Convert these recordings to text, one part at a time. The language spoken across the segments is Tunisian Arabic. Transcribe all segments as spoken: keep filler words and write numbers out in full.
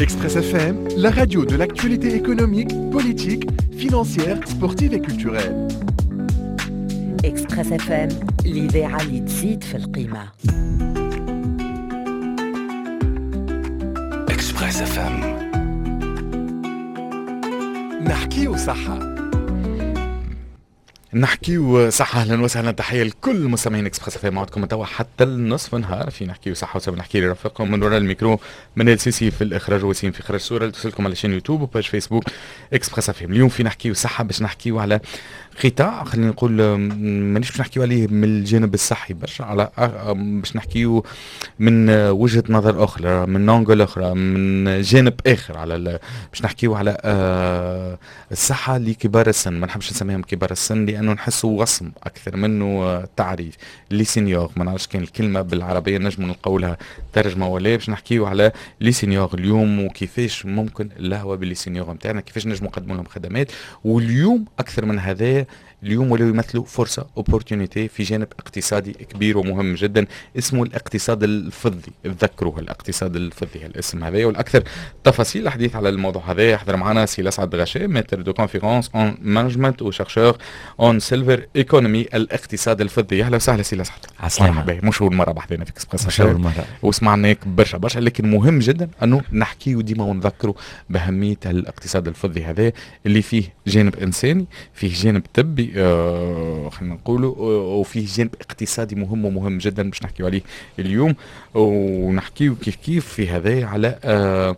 Express F M, la radio de l'actualité économique, politique, financière, sportive et culturelle. Express F M، الإذاعة اللي تزيد في القيمة. Express F M، نحكيو صحة. نحكيو صحة. اهلا وسهلا، تحية لكل مستمعين Express F M، معكم توا حتى النصف نهار في نحكيو صحة، وسوف نحكي لرفاقكم من وراء الميكرو منال سيسي في الاخراج وسيم في اخراج الصورة اللي توصلكم على chaîne YouTube و page Facebook Express F M. اليوم في نحكيو صحة باش نحكيو على قطاع، خلينا نقول مانيش باش نحكيو عليه من الجانب الصحي برشا، على باش نحكيو من وجهة نظر اخرى، من angle اخرى، من جانب اخر، على باش نحكيو على آه، الصحة لكبار السن. ما نحبش نسميهم كبار السن لانه نحسوا وصم اكثر منه تعريف. les seniors، ما نعرفش كان الكلمة بالعربية نجم نلقاو ترجمه ولا. باش نحكيو على les seniors اليوم وكيفاش ممكن اللهوه ب les seniors نتاعنا، كيفاش نجموا نقدموا لهم خدمات. واليوم اكثر من هذا، اليوم ولاو يمثلوا فرصة opportunité في جانب اقتصادي كبير ومهم جدا اسمه الاقتصاد الفضي. تذكروه، الاقتصاد الفضي، الاسم هذا. والاكثر تفاصيل الحديث على الموضوع هذا يحضر معنا سي لسعد غشام، maître de conférences en management و chercheur en silver economy، الاقتصاد الفضي. اهلا وسهلا سي لسعد. عسلامة. مش اول مرة بحذنا في اكسبريس. مش اول مرة. وسمعناك برشا برشا، لكن مهم جدا انه نحكيو ديما ونذكروا باهمية الاقتصاد الفضي هذا اللي فيه جانب انساني، فيه جانب طبي، آه خلينا نقولوا، آه، وفيه جانب اقتصادي مهم ومهم جدا باش نحكيو عليه اليوم. ونحكيو كيف كيف في هذا على آه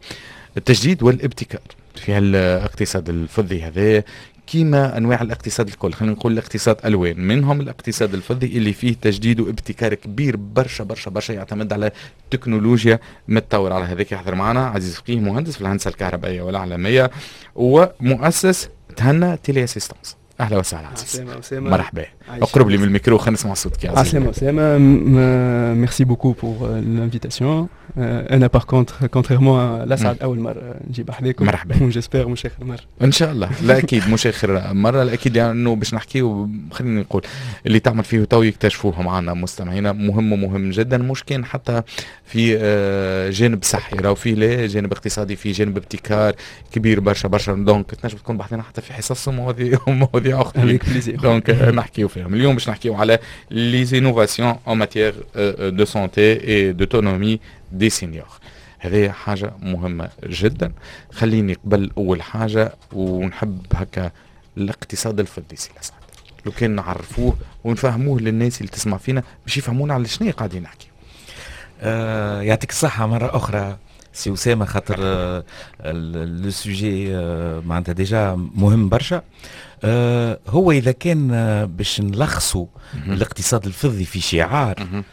التجديد والابتكار في الاقتصاد الفضي هذا. كيما انواع الاقتصاد الكل، خلينا نقول الاقتصاد الوان، منهم الاقتصاد الفضي اللي فيه تجديد وابتكار كبير برشا برشا برشا، يعتمد على تكنولوجيا متطورة. على هذاك يحضر معنا عزيز فقيه، مهندس في الهندسة الكهربائية والاعلامية ومؤسس تهنى téléassistance. اهلا وسهلا عزيز. عسلامة. مرحبا، اقرب لي من الميكرو خلينا نسمع صوتك يا عزيز. عسلامة أسامة، merci beaucoup pour l'invitation. انا par contre، contrairement لاسعد، اول مرة نجي بحذاكم. مرحبا. j'espère مش اخر مرة. ان شاء الله، لا اكيد مش اخر مره، لا اكيد، لانه باش نحكيو، خلينا نقول اللي تعمل فيه تو يكتشفوه معنا مستمعينا، مهم ومهم جدا، مش كان حتى في آه، جانب صحي، راهو فيه لا جانب اقتصادي، في جانب ابتكار كبير برشا برشا. donc تنجم تكون بحذنا حتى في حصص ومواضيع مواضيع اخرى، donc نحكيو فيهم. اليوم باش نحكيو على les innovations en matière de santé et d'autonomie des seniors. هذه حاجة مهمة جدا. خليني قبل أول حاجة ونحب هكا الاقتصاد الفضي سي لسعد، لو كان نعرفوه ونفهموه للناس اللي تسمع فينا باش يفهمونا على شنو قاعدين نحكي. آه يعطيك الصحة مرة أخرى سي أسامة، خاطر آه le sujet آه معناتها déjà مهم برشا. آه هو إذا كان آه باش نلخصوا الاقتصاد الفضي في شعار،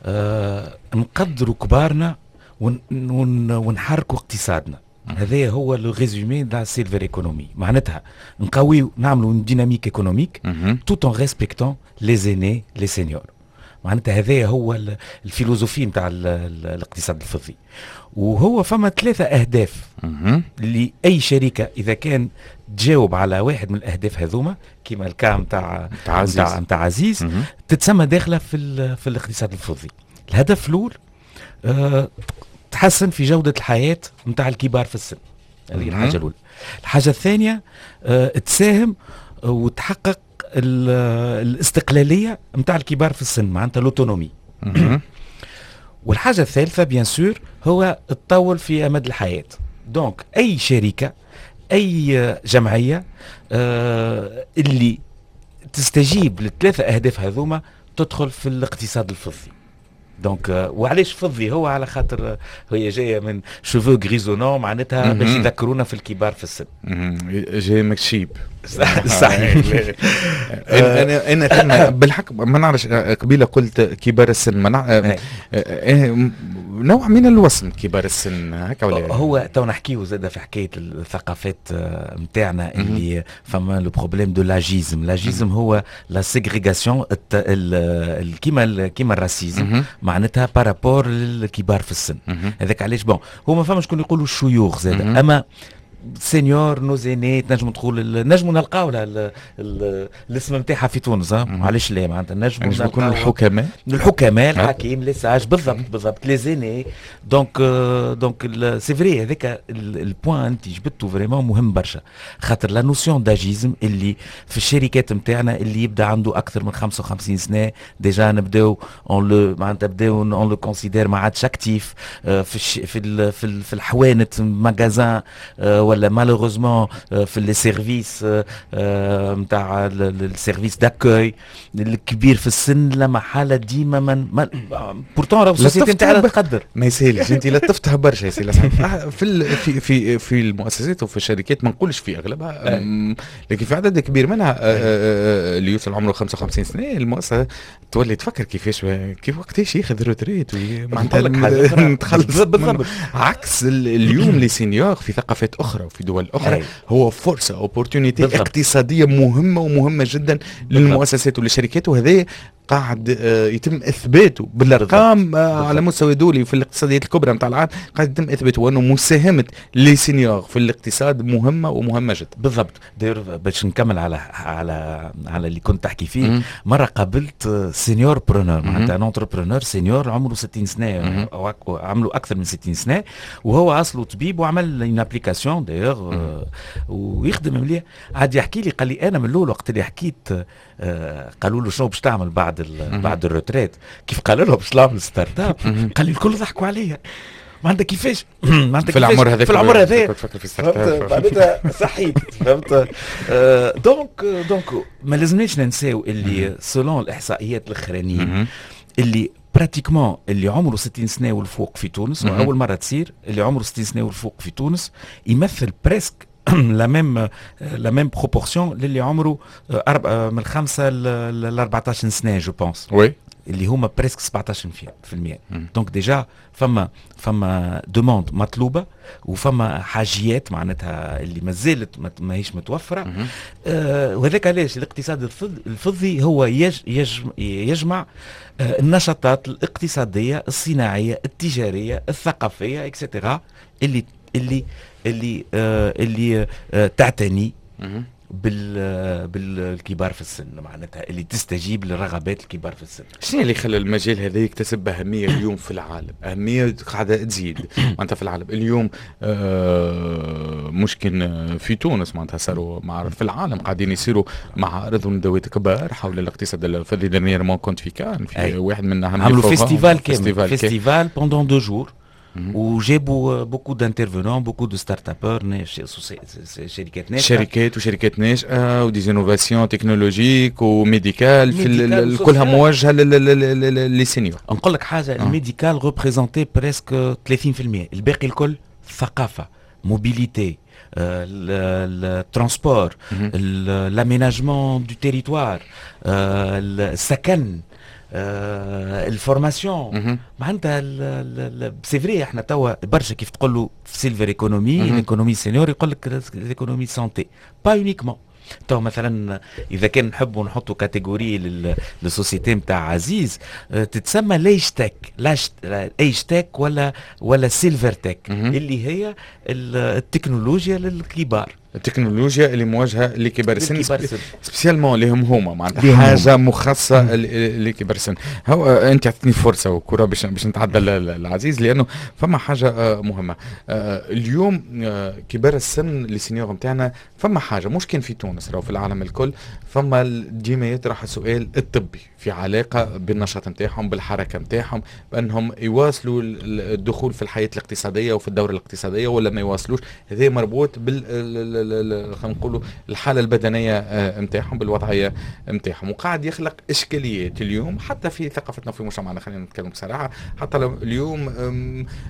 آه نقدروا كبارنا ون ون ونحركوا اقتصادنا. هذا هو le résumé تاع silver economy، معناتها نقويو، نعملوا dynamique économique tout en respectant les aînés، les seniors. معناتها هذا هو ال philosophie نتاع الاقتصاد الفضي. وهو فما ثلاثة أهداف لأي شركة، إذا كان تجاوب على واحد من الأهداف هذوما، كيما ال cas نتاع نتاع نتاع عزيز، تتسمى داخلة في في الاقتصاد الفضي. الهدف الأول أه تحسن في جودة الحياة نتاع الكبار في السن، هذه الحاجة الأولى. الحاجة الثانية أه تساهم وتحقق الاستقلالية نتاع الكبار في السن، معناتها l'autonomie. والحاجة الثالثة bien sûr هو تطول في أمد الحياة. donc أي شركة، أي جمعية آه اللي تستجيب للثلاثة أهداف هذوما تدخل في الاقتصاد الفضي. donc وعلاش فضي؟ هو على خاطر هي جاية من cheveux grisonnants، معناتها باش يذكرونا في الكبار في السن. جاي من الشيب. صحيح. انا انا بالحق ما نعرفش، قبيلة قلت كبار السن، ما نع... نوع من الوصم كبار السن هكا ولا؟ هو تو نحكيو زاد في حكاية الثقافات نتاعنا اللي فما le problème de l'âgisme. l'âgisme هو la ségrégation، كيما كيما ال racisme، معناتها par rapport للكبار في السن. هذاك علاش bon هو ما فما شكون يقولوا الشيوخ زاد، اما seniors، nos aînés، تنجم تقول نجموا نلقاو لها الاسم نتاعها في تونس. علاش لا؟ معناتها نجموا نكونوا الحكماء. الحكماء، الحكيم، les sages، بالضبط بالضبط، les aînés. donc donc c'est vrai، هذاك ال point انت جبته vraiment مهم برشا، خاطر la notion d'âgisme اللي في الشركات نتاعنا، اللي يبدا عنده اكثر من خمسة وخمسين سنة déjà نبداو on le معناتها نبداو on le considère ما عادش actif في الش في ال في, في الحوانت magasin، ولا malheureusement في les services نتاع ال service d'accueil، الكبير في السن لا محالة ديما من pourtant راهو ال société نتاعنا تقدر. ما يسالش، انت لطفتها برشا يا سي. في في في في المؤسسات وفي الشركات، ما نقولش في اغلبها لكن في عدد كبير منها، اللي يوصل عمره خمسة وخمسين سنة المؤسسة تولي تفكر كيفاش كيف وقتاش ياخذ retraite، معناتها نتخلص. بالضبط، عكس اليوم les seniors في ثقافات اخرى وفي دول اخرى هو فرصه، opportunité اقتصادية مهمة ومهمة جدا للمؤسسات وللشركات، وهذا قاعد آه، يتم اثباته بالارقام آه، على مستوى دولي في الاقتصاديات الكبرى نتاع العالم. قاعد يتم اثباته انه مساهمة les seniors في الاقتصاد مهمة ومهمة جدا. بالضبط. d'ailleurs باش نكمل على على على اللي كنت تحكي فيه، مرة قابلت seniorpreneur، معناتها un entrepreneur senior عمره ستين سنة او عمله اكثر من ستين سنه، وهو اصله طبيب وعمل une application d'ailleurs ويخدم مليح. عاد يحكي لي، قال لي انا من الاول وقت اللي حكيت، آه، قالوا له شنو باش تعمل بعد بعد ال retraite؟ كيف قال لهم باش نعمل startup، قال لي الكل ضحكوا عليا. ما عندك كيفاش ما عندك في العمر هذاك في العمر هذا تفكر في start معناتها صحيت، فهمت؟ آه، donc donc ما لازمناش ننساو اللي selon الاحصائيات الاخرانيين اللي pratiquement اللي عمره ستين سنة والفوق في تونس، واول مرة تصير، اللي عمره ستين سنة والفوق في تونس يمثل presque la même la même proportion للي عمره من خمسة ل أربعطاش سنه، je pense. oui اللي هما presque سبعطاش في المية. donc déjà فما فما demande مطلوبه وفما حاجيات معناتها اللي ما زالت ماهيش متوفره. آه وهذاك علاش الاقتصاد الفضي هو يج يج يجمع آه النشاطات الاقتصاديه، الصناعيه، التجاريه، الثقافيه، et cetera، اللي اللي اللي آه اللي آه تعتني بال بالكبار في السن، معناتها اللي تستجيب لرغبات الكبار في السن. شنو اللي خلى المجال هذا يكتسب اهمية اليوم في العالم؟ اهمية قاعدة تزيد معناتها في العالم اليوم، آه مش كان في تونس، معناتها صاروا معارض في العالم، قاعدين يصيروا معارض وندوات كبار حول الاقتصاد الفضي. dernièrement كنت في كان في أي. واحد من اهم عملوا festival كامل، festival pendant deux jours، وجابوا beaucoup d'intervenants، beaucoup de startuppeurs، شركات ناشئه. شركات وشركات ناشئة و des innovations technologiques و médicales في كلها موجهة لل seniors. نقول لك حاجه، ال médical représentait presque ثلاثين في المية، الباقي الكل ثقافه، mobilité، ال transport، l'aménagement du territoire، السكن، ال formation. معناتها c'est vrai، احنا توا برشا كيف تقول له silver economy، l'économie senior، يقول لك l'économie santé. pas uniquement. تو مثلا اذا كان نحبوا نحطوا catégorie لل société نتاع عزيز، تتسمى l'age tech، l'age tech ولا ولا silver tech، اللي هي التكنولوجيا للكبار. التكنولوجيا اللي موجهة لكبار السن، spécialement لهم هما، معناتها حاجة مخصصة لكبار السن. هو انت اعطيتني فرصة وكره باش باش نتعدى العزيز، لانه فما حاجة آه، مهمة آه، اليوم، آه، كبار السن، les seniors نتاعنا، فما حاجة مش كان في تونس، راهو في العالم الكل، فما ديما يطرح السؤال الطبي في علاقة بالنشاط نتاعهم، بالحركة نتاعهم، بانهم يواصلوا الدخول في الحياة الاقتصادية وفي الدورة الاقتصادية ولا ما يواصلوش. هذا مربوط بال خلينا نقولوا الحالة البدنية نتاعهم، بالوضعيه نتاعهم، وقاعد يخلق اشكاليات اليوم حتى في ثقافتنا وفي مجتمعنا. خلينا نتكلم بصراحه، حتى اليوم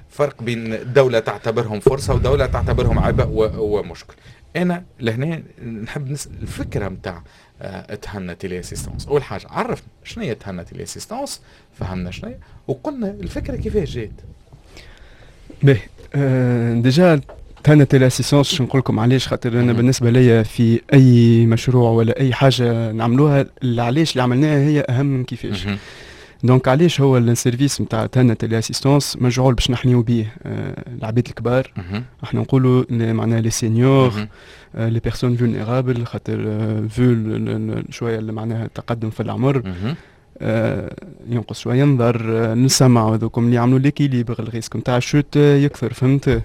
فرق بين دولة تعتبرهم فرصة ودولة تعتبرهم عبء ومشكل. انا لهنا نحب نسال الفكرة نتاع آه، تهنى téléassistance. اول حاجة عرفنا شنو هي تهنى téléassistance، فهمنا شنو هي، وقلنا الفكرة كيفاش جات. باهي، آه déjà تهنى téléassistance نقول لكم علاش، خاطر انا بالنسبة ليا في اي مشروع ولا اي حاجة نعملوها، علاش اللي عملناها هي اهم من كيفاش. donc علاش هو ال service نتاع تهنى téléassistance مجعول باش نحميو بيه آه، العباد الكبار. احنا نقولوا معناها les seniors، les personnes vulnérables، خاطر vu شوية معناها التقدم في العمر آه، ينقص شوية نظر، آه، نسمع، هذوكم اللي يعملوا l'équilibre، ال risque نتاع ال chute يكثر، فهمت؟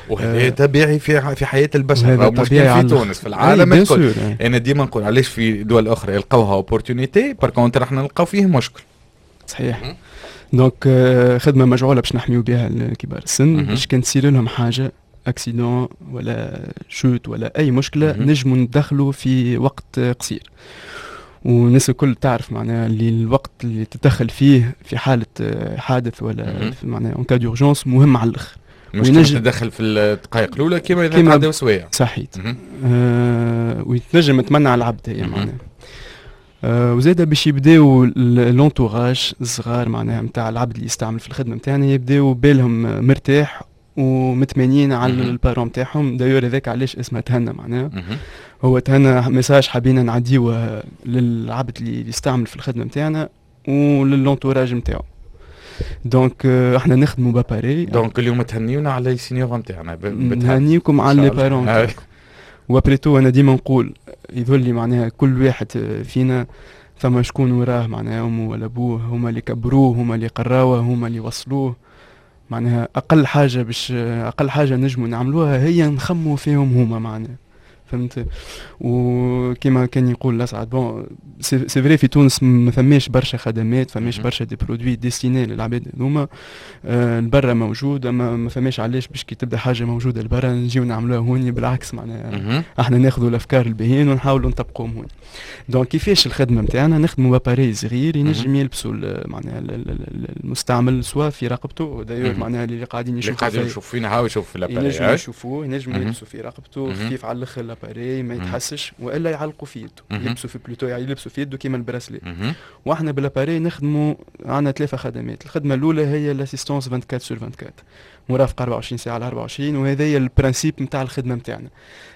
وهذا طبيعي في في حياة البشر، مش في تونس، في العالم الكل. انا ديما نقول علاش في دول اخرى يلقوها opportunité، par contre احنا نلقاو فيه مشكل. صحيح. donc خدمة مجعوله باش نحميو بها كبار السن، باش كان تصير لهم حاجه، accident ولا chute ولا اي مشكله، نجموا ندخلوا في وقت قصير. والناس الكل تعرف معناها اللي الوقت اللي تتدخل فيه في حاله حادث ولا معناها en cas d'urgence مهم على الاخر. مش كيما تدخل في الدقائق الاولى كيما اذا تعداو سوايع. صحيت. آه وتنجم تمنع العبد هي معناها. آه وزاده باش يبداو l'entourage الصغار معناها نتاع العبد اللي يستعمل في الخدمة نتاعنا يبداو بالهم مرتاح ومتمنين على ال parent نتاعهم. d'ailleurs هذاك علاش اسمها تهنى، معناها هو تهنى message حبينا نعديوه للعبد اللي يستعمل في الخدمة نتاعنا ولل entourage نتاعو. donc احنا نخدموا ب appareil. donc اليوم تهنيونا على les seniors نتاعنا. نهنيكم على les parents. و après tout انا ديما نقول يظل لي معناها كل واحد فينا ثم شكون وراه، معناها امه ولا ابوه، هما اللي كبروه، هما اللي قراوه، هما اللي وصلوه. معناها اقل حاجة باش اقل حاجة نجموا نعملوها هي نخموا فيهم هما معناها، فهمت؟ وكما كان يقول الاسعد، bon c'est vrai في تونس ما فماش برشا خدمات، فماش برشا des produits destinés للعباد هذوما. آه البرا موجود، اما ما فماش علاش باش كي تبدا حاجة موجودة البرا نجيو نعملوها هوني. بالعكس، معناها احنا ناخذوا الافكار الباهيين ونحاولوا نطبقوهم هوني. donc كيفاش الخدمة نتاعنا؟ نخدموا ب appareil صغير ينجم يلبسوا معناها المستعمل soit في رقبته، d'ailleurs معناها اللي قاعدين يشوفوا، اللي قاعدين يشوفوا فينا هاو يشوف في l'appareil، ينجموا يشوفوه، ينجموا يلبسوا في رقبته، خفيف على الاخر l'appareil، ما يتحسش، والا يعلقوا في يده، يلبسوا في plutôt يعني يلبسوا في يده كيما ال bracelet. واحنا بال appareil نخدموا، عندنا ثلاثة خدمات. الخدمة الاولى هي l'assistance أربعة وعشرين sur أربعة وعشرين، مرافقة أربعة وعشرين ساعة على أربعة وعشرين، وهذا هي ال principe نتاع الخدمة نتاعنا.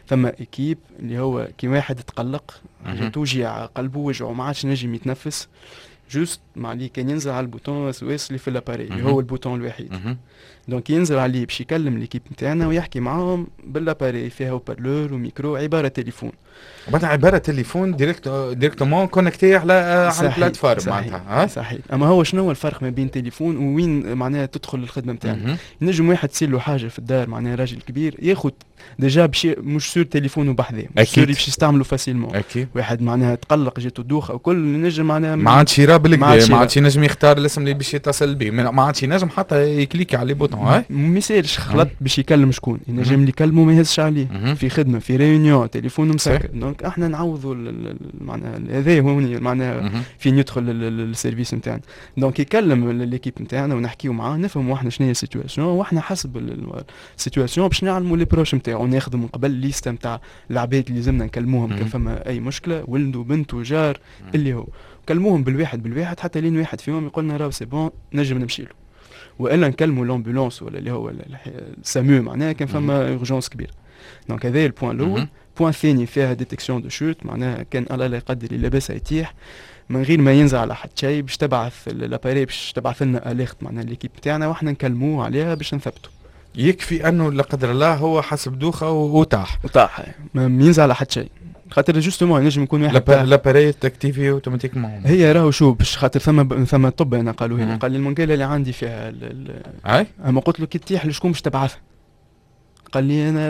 ثم équipe اللي هو كي واحد تقلق، حاجة توجع قلبه، وجعه، ما عادش نجم يتنفس، juste ما عليه كان ينزل على ال bouton SOS اللي في l'appareil، اللي هو ال bouton الوحيد. donc ينزل عليه باش يكلم l'équipe نتاعنا ويحكي معاهم بال appareil، فيها haut-parleur و micro، عبارة تليفون. معناتها عبارة تليفون direct directement connecté على على ال plateforme معناتها. صحيح. اما هو شنو هو الفرق ما بين تليفون ووين معناها تدخل الخدمة نتاعنا؟ ينجم واحد تصير له حاجة في الدار، معناها راجل كبير ياخذ déjà باش مش sûr تليفونه بحذاه، مش sûr باش يستعملوا facilement. اكيد. واحد معناها تقلق، جاتو دوخه وكل، نجم معناها ما عادش يرى بالكدا، ما عادش ينجم يختار الاسم اللي باش يتصل به، ما عادش ينجم حتى يكليكي على les boutons. هاي ما يسالش، خلط باش يكلم شكون، ينجم اللي يكلمه ما يهزش عليه، في خدمه، في réunion، تليفون مسكر. donc احنا نعوضوا معناها هذا هو معناها فين يدخل ال service نتاعنا. donc يكلم l'équipe نتاعنا ونحكيو معاه، نفهموا احنا شنو هي ال situation، واحنا حسب ال situation باش نعلموا les proches نتاعو. ناخذوا من قبل liste نتاع العباد اللي لازمنا نكلموهم كان فما اي مشكله، ولده، بنته، جار، اللي هو كلموهم بالواحد بالواحد حتى لين واحد فيهم يقول لنا راهو c'est bon نجم نمشي له، والا نكلموا l'ambulance ولا اللي هو ال SAMU معناها كان فما urgence كبير. donc هذا ال point الاول. point الثاني فيها détection de chute، معناها كان الله لا يقدر لاباس يتيح، من غير ما ينزل على حد شيء، باش تبعث l'appareil باش تبعث لنا alerte معناها l'équipe تاعنا، واحنا نكلموه عليها باش نثبتوا. يكفي انه لا قدر الله هو حسب دوخه وطاح. وطاح، ما ينزل على حد شيء، خاطر justement ينجم يكون واحد l'appareil تاكتيفي automatiquement. هي راهو شو باش خاطر ثم ثم طب انا قالوا لي، قال لي المنقاله اللي عندي فيها. اي اما قلت له كي تطيح لشكون باش تبعثها؟ قال لي انا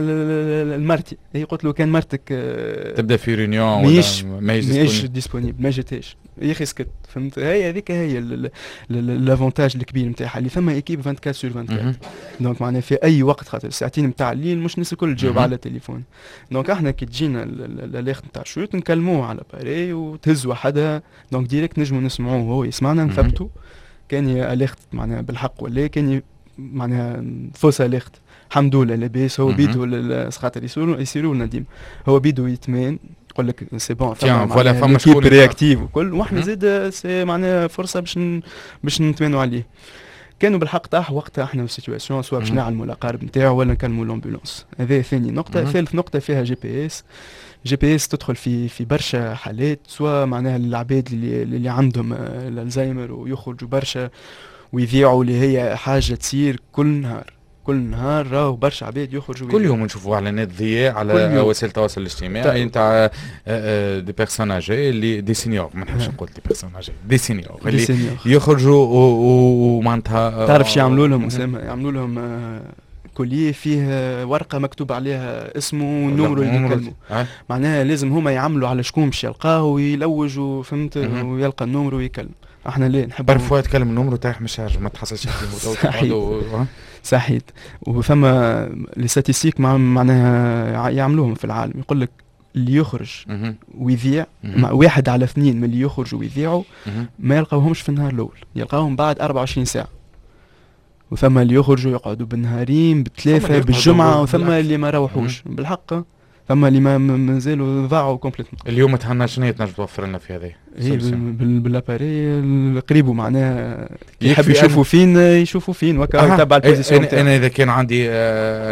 المرتي. هي قلت له كان مرتك آه، تبدا في réunion. ماهيش ماهيش disponible، ما جاتهاش، يا اخي سكت، فهمت؟ هي هذيك هي l'avantage الكبير نتاعها، اللي ثم équipe أربعة وعشرين sur أربعة وعشرين. donc معناها في اي وقت، خاطر الساعتين نتاع الليل مش الناس الكل تجاوب على التليفون. donc احنا كي تجينا l'alerte نتاع chute نكلموه على l'appareil وتهز وحدها، donc direct نجمو نسمعوه وهو يسمعنا، نثبتوا كان alerte معناها بالحق ولا كان معناها fausse alerte. الحمد لله لاباس، هو بيدو، خاطر يصيروا يصيروا لنا ديما، هو بيدو يتمان، يقول لك c'est bon. voilà فما شكون réactive وكل، واحنا زاد c'est معناها فرصة باش باش نتمانوا عليه. كانوا بالحق طاح وقتها احنا في situation soit باش نعلموا الاقارب نتاعو ولا نكلموا l'ambulance. هذا ثاني نقطه. ثالث نقطة فيها جي بي اس. جي بي اس تدخل في في برشا حالات، soit معناها العباد اللي اللي عندهم الالزايمر ويخرجوا برشا ويذيعوا، اللي هي حاجة تصير كل نهار، كل نهار راهو برشا عباد يخرجوا. كل يوم نشوفوا اعلانات ضياع على وسائل التواصل الاجتماعي نتاع des personnes âgées اللي des seniors، ما نحبش نقول des personnes âgées، des seniors اللي يخرجوا ومعناتها تعرف شو يعملوا لهم اسامه؟ يعملوا لهم collier فيه ورقة مكتوب عليها اسمه وال numéro اللي يكلموا. معناها لازم هما يعملوا على شكون باش يلقاه ويلوجوا، فهمت، ويلقى ال numéro ويكلم. احنا ليه نحب parfois تكلم ال numéro تاعك مش ما تحصلش. صحيح صحيت. وثم les statistiques معناها يعملوهم في العالم، يقول لك اللي يخرج ويذيع واحد على اثنين من اللي يخرجوا ويذيعوا ما يلقاوهمش في النهار الاول، يلقاوهم بعد أربعة وعشرين ساعة. وثم اللي يخرجوا يقعدوا بالنهارين، بالثلاثه، بالجمعه، وثم اللي ما روحوش بالحق، ثم اللي ما مازالوا ضاعوا complètement. اليوم تهنا شنو تنجم توفر لنا في هذه؟ هي بال appareil قريبه، معناها يحب يشوفوا فين يشوفوا فين وكا يتبع ال position. انا, أنا اذا كان عندي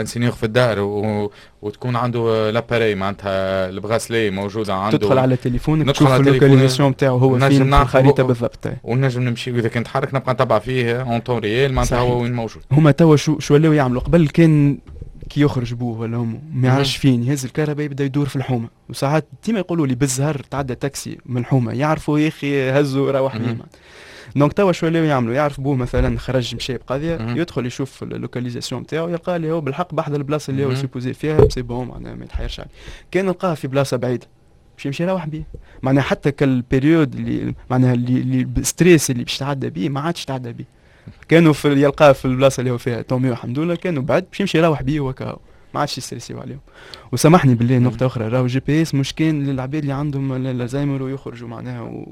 un senior في الدار و... وتكون عنده l'appareil معناتها ال bracelet موجودة عنده، تدخل على تليفونك تشوف ال localisation نتاعو هو فين في الخريطة بالضبط. ونجم نمشي اذا كان تحرك نبقى نتبع فيه en temps réel معناتها هو وين موجود. هما توا شو شو ولاو يعملوا؟ قبل كان كي يخرج بوه ولا امه ما يعرفش فين، يهز الكرهبة يبدا يدور في الحومه، وساعات ديما يقولوا لي بالزهر تعدى تاكسي من الحومه يعرفوا يا اخي هزوا روح بيه. donc توا شو ولاو يعملوا؟ يعرف بوه مثلا خرج مشى بقضيه، يدخل يشوف ال localisation نتاعو يلقى اللي هو بالحق بحذا البلاصة اللي هو supposé فيها، c'est bon معناها ما يتحيرش عليه. كان لقاه في بلاصة بعيدة باش يمشي يروح بيه، معناها حتى كال période اللي معناها اللي stress اللي باش تعدى بيه ما عادش تعدى بيه. كانوا في يلقاه في البلاصة اللي هو فيها tant mieux الحمد لله، كانوا بعد باش يمشي يروح بيه وكاهو ما عادش يستريسيو عليهم. وسامحني بالله نقطة اخرى، راهو GPS مش كان للعباد اللي عندهم الزهايمر ويخرجوا معناها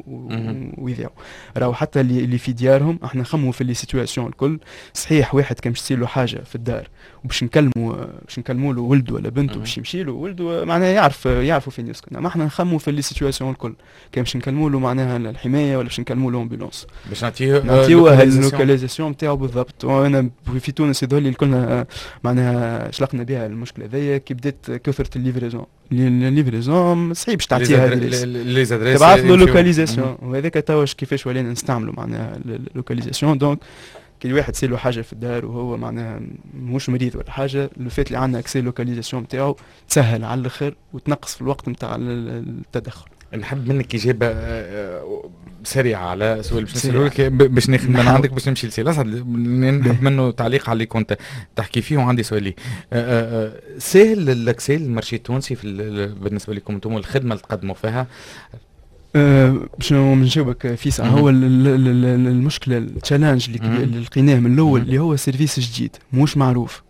ويذيعوا، راهو حتى اللي, اللي في ديارهم. احنا نخموا في les situations الكل. صحيح واحد كان باش تصير له حاجة في الدار وباش نكلموا باش نكلموا له ولده ولا بنته باش يمشي له ولده معناها يعرف يعرفوا فين يسكن، ما احنا نخموا في les situations الكل. كان باش نكلموا له معناها الحماية ولا باش نكلموا له ambulance باش نعطيه نعطيوه ال localisation نتاعو بالضبط. وانا في تونس يظهر لي الكلنا معناها شلقنا بها المشكلة هذيا كي بدات كثرة ال livraison. ال livraison صعيب باش تعطيها les adresses، تبعث له localisation، وهذاك توا كيفاش ولينا نستعملوا معناها ال localisation. donc كي الواحد تصير له حاجة في الدار وهو معناها مش مريض ولا حاجه، le fait اللي عندنا accès localisation نتاعو تسهل على الاخر وتنقص في الوقت نتاع التدخل. نحب منك اجابه آه، سريعة على سؤال باش نسأله لك، باش ناخذ من عندك باش نمشي لسي الاسعد، نحب منه تعليق على اللي كنت تحكي فيه، وعندي سؤال لي. آه، آه، سهل l'accès لل marché التونسي في بالنسبة لكم انتم الخدمة اللي تقدموا فيها؟ باش نجاوبك فيسع، هو المشكلة ال challenge اللي لقيناه من الاول اللي هو service جديد مش معروف.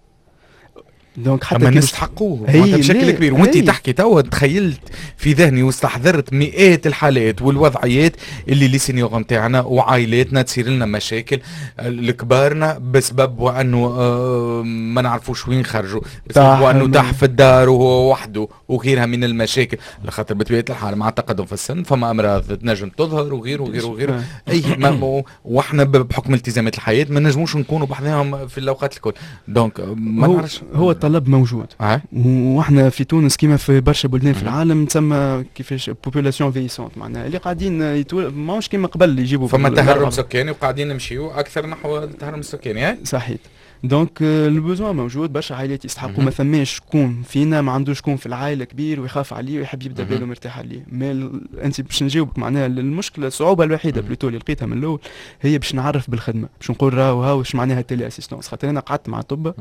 donc حتى كي نستحقوه بشكل كبير، وانت تحكي توا تخيلت في ذهني واستحضرت مئات الحالات والوضعيات اللي les seniors نتاعنا وعائلاتنا تصير لنا مشاكل لكبارنا بسبب وانه آه، ما نعرفوش وين خرجوا، بسبب وانه طاح في الدار وهو وحده وغيرها من المشاكل، لخاطر بطبيعة الحال مع التقدم في السن فما امراض تنجم تظهر وغيره وغيره وغيره. اي ما واحنا بحكم التزامات الحياة ما نجموش نكونوا بحذاهم في الاوقات الكل، donc ما نعرفش. هو الطلب موجود أه؟ واحنا في تونس كيما في برشا بلدان في العالم تسمى كيفاش population vieillissante، معناها اللي قاعدين يتول ماهوش كيما قبل يجيبوا. فما تهرم سكاني وقاعدين نمشيو اكثر نحو التهرم السكاني. صحيح، donc ال besoin موجود، برشا عائلات يستحقوا. ما ثماش شكون فينا ما عندوش شكون في العائلة كبير ويخاف عليه ويحب يبدا باله مرتاح عليه. mais انت باش نجاوبك، معناها المشكله، الصعوبة الوحيدة plutôt اللي لقيتها من الاول هي باش نعرف بالخدمه، باش نقول راهو هاو اش معناها téléassistance. خاطر انا قعدت مع طب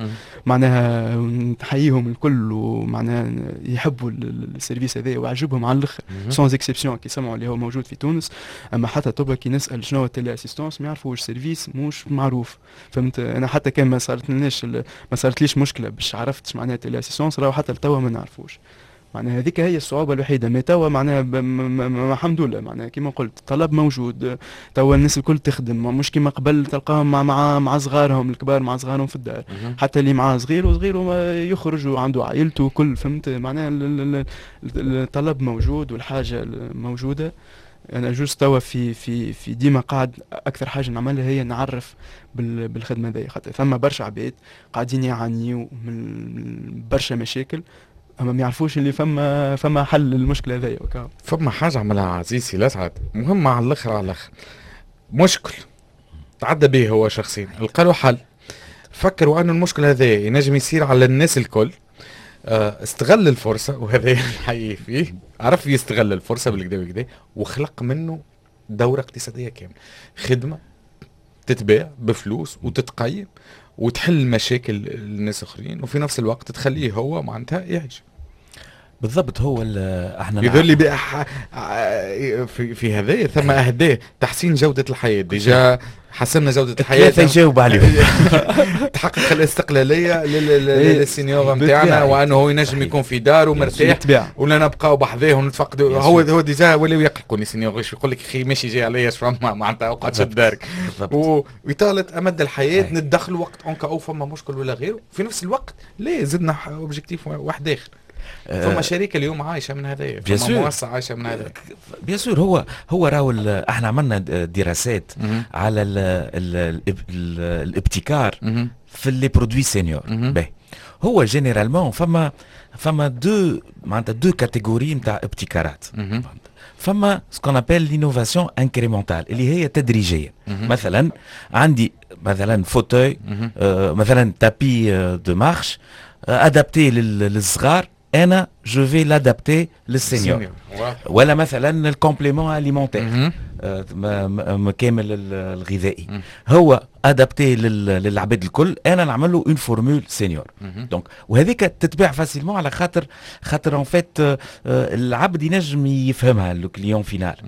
معناها نحييهم الكل ومعناها يحبوا ال service هذا وعجبهم على الاخر sans exception كي سمعوا اللي هو موجود في تونس. اما حتى طب كي نسال شنو هو téléassistance ما يعرفوش، service مش معروف، فهمت؟ انا حتى كان ما صارت لناش ما صارتليش مشكلة باش عرفت معناها téléassistance، راهو حتى لتوا ما نعرفوش. معناها هذيك هي الصعوبة الوحيده. mais توا معناها الحمد لله، معناها كيما قلت الطلب موجود، توا الناس الكل تخدم، مش كيما قبل تلقاهم مع مع مع صغارهم الكبار مع صغارهم في الدار، حتى اللي معاه صغير وصغير يخرج وعنده عائلته وكل، فهمت؟ معناها الطلب موجود والحاجة موجوده. انا juste توا في في في ديما قاعد اكثر حاجة نعملها هي نعرف بالخدمة هذيا، خاطر ثم برشا عباد قاعدين يعانيوا من برشا مشاكل اما ما يعرفوش اللي فما فما حل للمشكلة هذيا. فما حاجة عملها عزيزي لسعد مهمة على الاخر على الاخر، مشكل تعدى به هو شخصيا، لقى له حل، فكروا انه المشكل هذا ينجم يصير على الناس الكل، استغل الفرصة وهذا الحقيقي فيه، عرف يستغل الفرصة بالكدا بالكدا وخلق منه دوره اقتصادية كاملة، خدمة تتباع بفلوس وتتقيم وتحل مشاكل الناس الاخرين وفي نفس الوقت تخليه هو معناتها يعيش. بالضبط. هو احنا يظل لي في في هذا ثم اهداف تحسين جوده الحياة، déjà حسنا جوده الحياة ثلاثة يجاوب عليهم تحقق الاستقلالية لل senior نتاعنا وانه هو ينجم يكون في داره مرتاح ولا نبقاو بحذاه ونتفقدوا. هو هو déjà ولاو يقلقوا les seniors، يقول لك اخي ماشي جاي عليا فما معناتها اقعد شد دارك، واطاله امد الحياة نتدخلوا وقت en cas où فما مشكل ولا غيره. في نفس الوقت لا زدنا objectif واحد اخر. فما شركة اليوم عايشه من هذايا، فما مؤسسة عايشه من هذا. bien sûr. هو هو راهو احنا عملنا دراسات على ال ال ال الابتكار في les produits seniors. باهي هو généralement فما فما deux معناتها deux catégories نتاع ابتكارات. فما ce qu'on appelle l'innovation incrémentale اللي هي تدريجيه. مثلا عندي مثلا fauteuil، آه مثلا tapis de marche adapté للصغار، انا je vais l'adapter لل senior. ولا مثلا ال complément alimentaire كامل الغذائي هو adapté للعباد الكل، انا نعمل له une formule senior. donc وهذيك تتباع facilement على خاطر خاطر en fait العبد ينجم يفهمها le client final.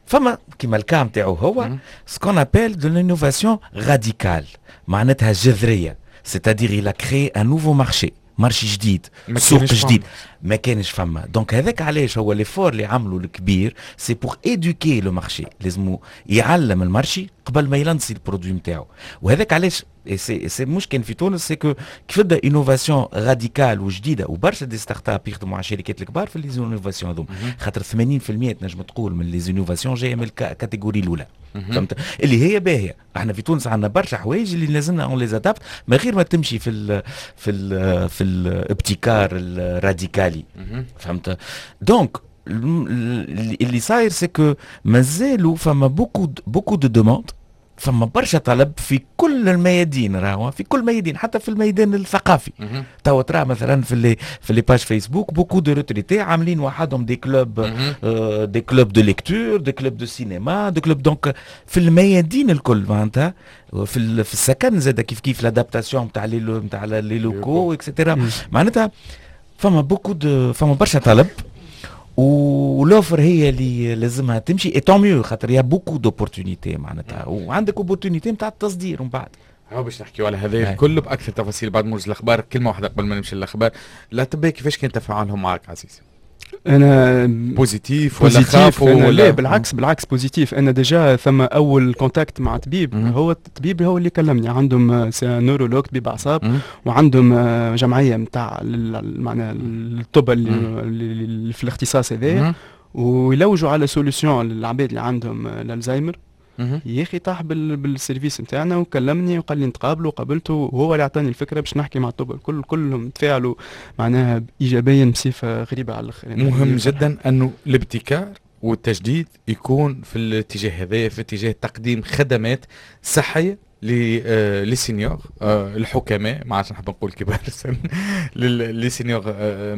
فما كيما ال cas نتاعو هو ce qu'on appelle de l'innovation radicale، معناتها جذرية، c'est-à-dire il a créé un nouveau marché، marché جديد، سوق جديد ما كانش فما. donc هذاك علاش هو l'effort اللي عملوا الكبير، c'est pour éduquer le marché، لازم يعلم ال marché قبل ما يلانسي ال produit نتاعو. وهذاك علاش c'est c'est مش كان في تونس، c'est que كيف تبدا innovation radicale وجديدة، وبرشا des startups يخدموا على الشركات الكبار في les innovations هذوما، خاطر ثمانين بالمية تنجم تقول من les innovations جاية من ال catégorie الاولى، فهمت؟ اللي هي باهيه. احنا في تونس عندنا برشا حوايج اللي لازمنا on les adapte من غير ما تمشي في ال في ال في الابتكار الراديكالي، فهمت؟ donc اللي صاير c'est que مازالوا فما beaucoup beaucoup de demandes، فما برشا طلب في كل الميادين، راهو في كل ميادين، حتى في الميدان الثقافي. توا ترى مثلا في les في les pages Facebook beaucoup de retraités عاملين وحدهم des clubs، آه des clubs de lecture، des clubs de cinéma، des clubs. donc في الميادين الكل معناتها، في في السكن زاد كيف كيف l'adaptation تاع les نتاع les locaux et cetera. معناتها فما beaucoup de فما برشا طلب و l'offre هي اللي لازمها تمشي، et tant mieux خاطر y a beaucoup d'opportunités معناتها، وعندك opportunité نتاع التصدير ومن بعد. هاو باش نحكيو على هذا الكل باكثر تفاصيل بعد موجز الاخبار. كلمة واحدة قبل ما نمشي للاخبار، الاطباء كيفاش كان تفاعلهم معك عزيزي؟ انا positif ولا خافوا ولا؟ لا بالعكس بالعكس positif. انا déjà ثم اول contact مع طبيب، هو الطبيب هو اللي كلمني، عندهم c'est neurologue طبيب اعصاب، وعندهم جمعية نتاع معناها الطب اللي, اللي في الاختصاص هذايا، ويلوجوا على solution للعباد اللي عندهم الالزهايمر. يا اخي طاح بال service نتاعنا وكلمني وقال لي نتقابلوا، وقابلته وهو اللي اعطاني الفكرة باش نحكي مع الطب الكل، كلهم تفاعلوا معناها ايجابيا بصفة غريبة على الاخر. يعني مهم جدا انه الابتكار والتجديد يكون في الاتجاه هذا، في اتجاه تقديم خدمات صحية les seniors الحكماء، ما عادش نحب نقول كبار السن، les seniors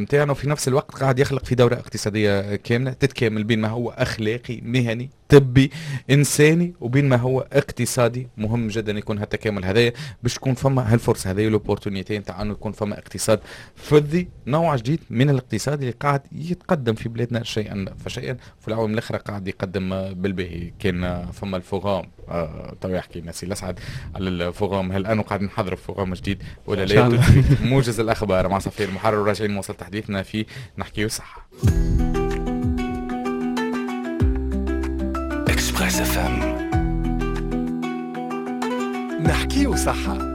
نتاعنا، وفي نفس الوقت قاعد يخلق في دوره اقتصادية كاملة تتكامل بين ما هو اخلاقي مهني طبي انساني وبين ما هو اقتصادي. مهم جدا يكون هالتكامل هذايا باش تكون فما هالفرصة هذه l'opportunité نتاع انه يكون فما اقتصاد فضي، نوع جديد من الاقتصاد اللي قاعد يتقدم في بلادنا شيئا فشيئا، في العوام الاخرى قاعد يقدم بالباهي. كان فما ال forum آه تو يحكي لنا سي الاسعد على ال forum، هل انه قاعد نحضر forum جديد ولا لا؟ موجز الاخبار مع صفير المحرر، وراجعين نواصل تحديثنا في نحكيو صحة. Express FM نحكيو صحة.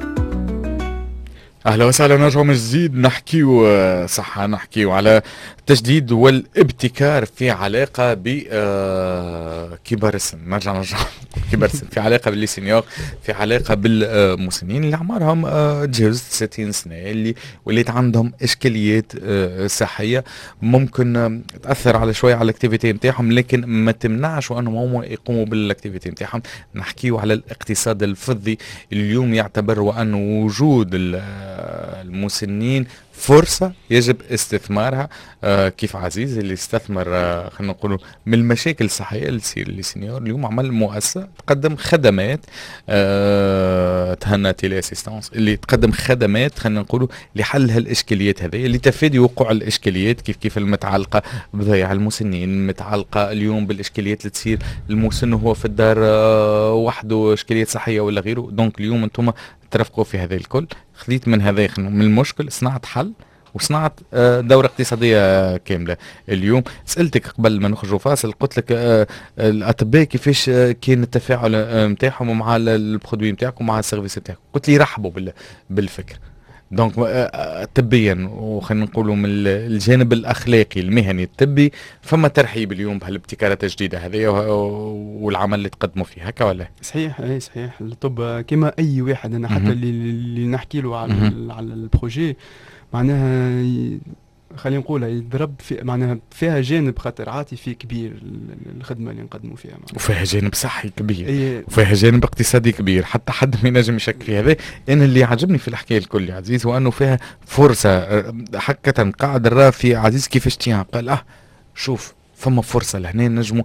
اهلا وسهلا، نرجع من جديد نحكيو آه، صحة، نحكيو على التجديد والابتكار في علاقة بكبار السن. نرجع نرجع كبار السن في علاقة ب les seniors، في علاقة بالمسنين اللي أعمارهم آه، تجاوزت ستين سنة، اللي وليت عندهم إشكاليات آه، صحية ممكن تأثر على شوية على ال activité نتاعهم، لكن ما تمنعش وأنهم هم يقوموا بال activité نتاعهم. نحكيو على الاقتصاد الفضي. اليوم يعتبر وأنه وجود المسنين فرصة يجب استثمارها، آه كيف عزيز اللي استثمر آه خلينا نقولوا من المشاكل الصحية اللي تصير les seniors، اليوم عمل مؤسسة تقدم خدمات آه تهنى télé-assistance، اللي تقدم خدمات خلينا نقولوا لحل هالاشكاليات هذه، لتفادي وقوع الاشكاليات كيف كيف المتعلقة بضياع المسنين، المتعلقة اليوم بالاشكاليات اللي تصير المسن وهو في الدار آه وحده، اشكاليات صحية ولا غيره. donc اليوم انتم ترافقوا في هذا الكل. خذيت من هذا من المشكل صنعت حل وصنعت آه، دورة اقتصادية كاملة. اليوم سألتك قبل ما نخرجوا فاصل، قلت لك آه، الأطباء كيفاش آه، كان التفاعل نتاعهم مع ال produit نتاعكم ومع ال service نتاعكم، قلت لي رحبوا بالفكر. donc طبيا وخلينا نقولوا من الجانب الاخلاقي المهني الطبي فما ترحيب اليوم بهالابتكارات الجديدة هذه والعمل اللي تقدموا فيه، هكا ولا؟ صحيح، اي صحيح. الطب كما اي واحد، انا حتى اللي, اللي نحكي له على على ال projet معناها خلينا نقولها يضرب في معناها فيها جانب خاطر عاطفي كبير الخدمة اللي نقدموا فيها معناها. وفيها جانب صحي كبير إيه، وفيها جانب اقتصادي كبير، حتى حد ما ينجم يشك في هذا. انا اللي عجبني في الحكاية الكل يا عزيز هو انه فيها فرصه. حقا قاعد نرى في عزيز كيفاش تيان قال اه شوف فما فرصة لهنا نجموا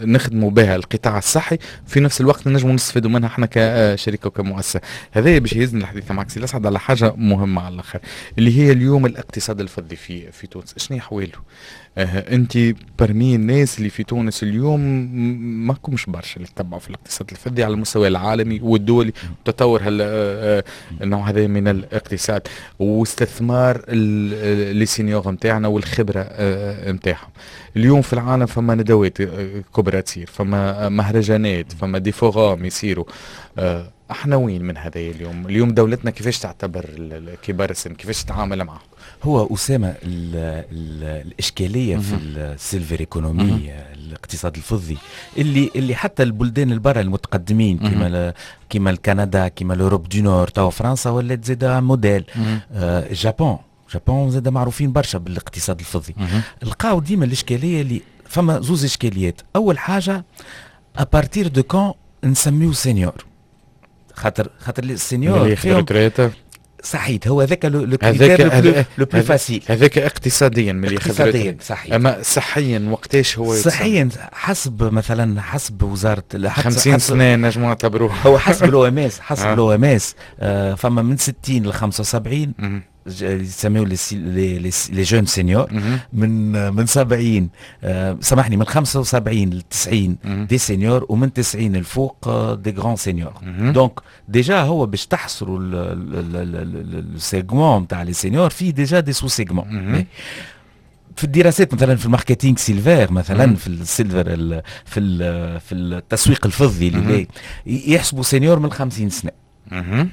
نخدموا بها القطاع الصحي، في نفس الوقت نجموا نستفيدوا منها احنا كشركة وكمؤسسه. هذا باش يهزني الحديث معك سي الاسعد على حاجة مهمة على الاخر، اللي هي اليوم الاقتصاد الفضي في في تونس شنو احواله؟ آه انت parmi الناس اللي في تونس اليوم ما كمش برشا اللي تتبعوا في الاقتصاد الفضي على المستوى العالمي والدولي وتطور هال آه، النوع هذا من الاقتصاد واستثمار les seniors نتاعنا والخبرة نتاعهم. اليوم في العالم فما ندوات آه، كبرى تصير، فما مهرجانات، فما des forums يصيروا. آه، احنا وين من هذا اليوم؟ اليوم دولتنا كيفاش تعتبر كبار السن؟ كيفاش تتعامل معهم؟ هو اسامة ال ال الاشكالية في ال silver economy، الاقتصاد الفضي، اللي اللي حتى البلدان البرة المتقدمين كما كما الكندا، كما l'Europe du Nord، تو فرنسا ولات زاده موديل، آه ال Japon Japon زاد معروفين برشا بالاقتصاد الفضي. لقاو ديما الاشكالية اللي فما زوز اشكاليات. اول حاجه، à partir de quand نسميو senior؟ خاطر خاطر ال senior فيهم صحيت، هو هذاك le critère le plus facile. هذاك اقتصاديا. ملي اقتصاديا صحيح. اما صحيا وقتاش هو؟ صحيا حسب مثلا حسب وزارة خمسين سنة نجموا نعتبروه. هو حسب l'OMS، حسب l'OMS فما من ستين ل خمسة وسبعين يسميو les les jeunes seniors، من من سبعين آه، سامحني، من خمسة وسبعين ل تسعين des seniors، ومن تسعين الفوق des grands seniors. donc déjà هو باش تحصروا ال segment تاع les seniors فيه déjà des sous-segments. في الدراسات مثلا في ال marketing silver، مثلا في ال silver في في التسويق الفضي اللي يحسبوا senior من خمسين سنه،